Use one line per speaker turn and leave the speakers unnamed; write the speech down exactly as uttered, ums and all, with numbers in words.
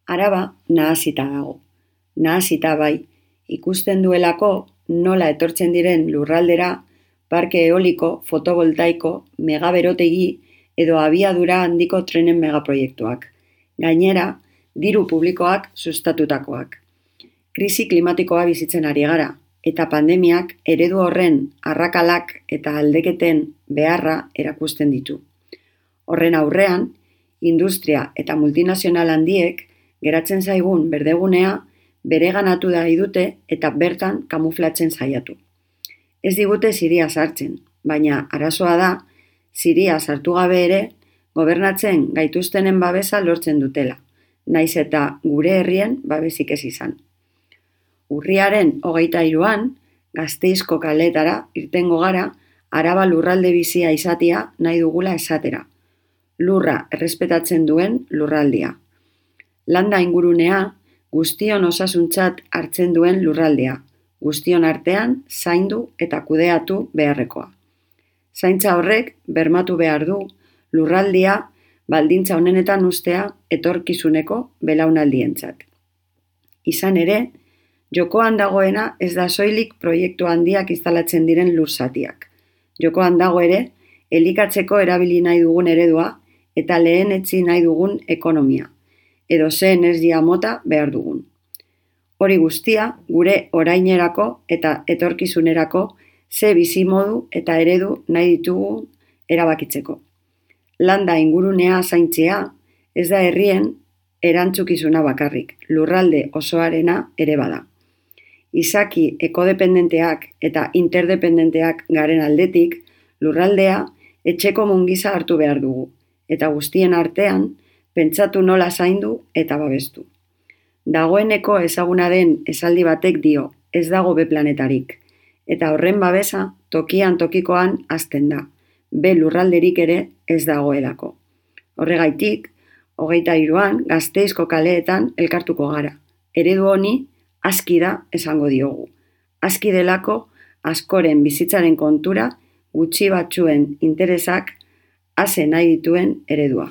Araba nahasita dago. Nahasita bai, ikusten duelako nola etortzen diren lurraldera parke eoliko, fotovoltaiko, megaberotegi edo abiadura handiko trenen megaproiektuak. Gainera, diru publikoak sustatutakoak. Krisi klimatikoa bizitzen ari gara, eta pandemiak eredu horren arrakalak eta aldeketen beharra erakusten ditu. Horren aurrean, industria eta multinazional handiek geratzen zaigun berdegunea bereganatu nahi dute eta bertan kamuflatzen saiatu. Ez digute ziria sartzen, baina arazoa da, ziria sartu gabe ere, gobernatzen gaituztenen babesa lortzen dutela, naiz eta gure herrien babesik ez izan. Urriaren hogeita hiruan, Gasteizko kaleetara irtengo gara Araba lurralde bizia izatea nahi dugula esatera. Lurra errespetatzen duen lurraldia. Landa ingurunea guztion osasuntzat hartzen duen lurraldea, guztion artean zaindu eta kudeatu beharrekoa. Zaintza horrek bermatu behar du lurraldia baldintza honenetan ustea etorkizuneko belaunaldientzat. Izan ere, jokoan dagoena ez da soilik proiektu handiak instalatzen diren lurzatiak. Jokoan dago ere, elikatzeko erabili nahi dugun eredua eta lehenetsi nahi dugun ekonomia, edo ze energia mota behar dugun. Hori guztia, gure orainerako eta etorkizunerako ze bizimodu eta eredu nahi ditugu erabakitzeko. Landa ingurunea zaintzea ez da herrien erantzukizuna bakarrik, lurralde osoarena ere bada. Izaki ekodependenteak eta interdependenteak garen aldetik, lurraldea etxeko mungiza hartu behar dugu, eta guztien artean pentsatu nola zaindu eta babestu. Dagoeneko ezaguna den esaldi batek dio, ez dago be planetarik, eta horren babesa tokian tokikoan hasten da, be lurralderik ere ez dagoelako. Horregaitik, hogeita hiruan Gasteizko kaleetan elkartuko gara. Eredu honi aski da esango diogu. Aski delako askoren bizitzaren kontura gutxi batzuen interesak hase nahi dituen eredua.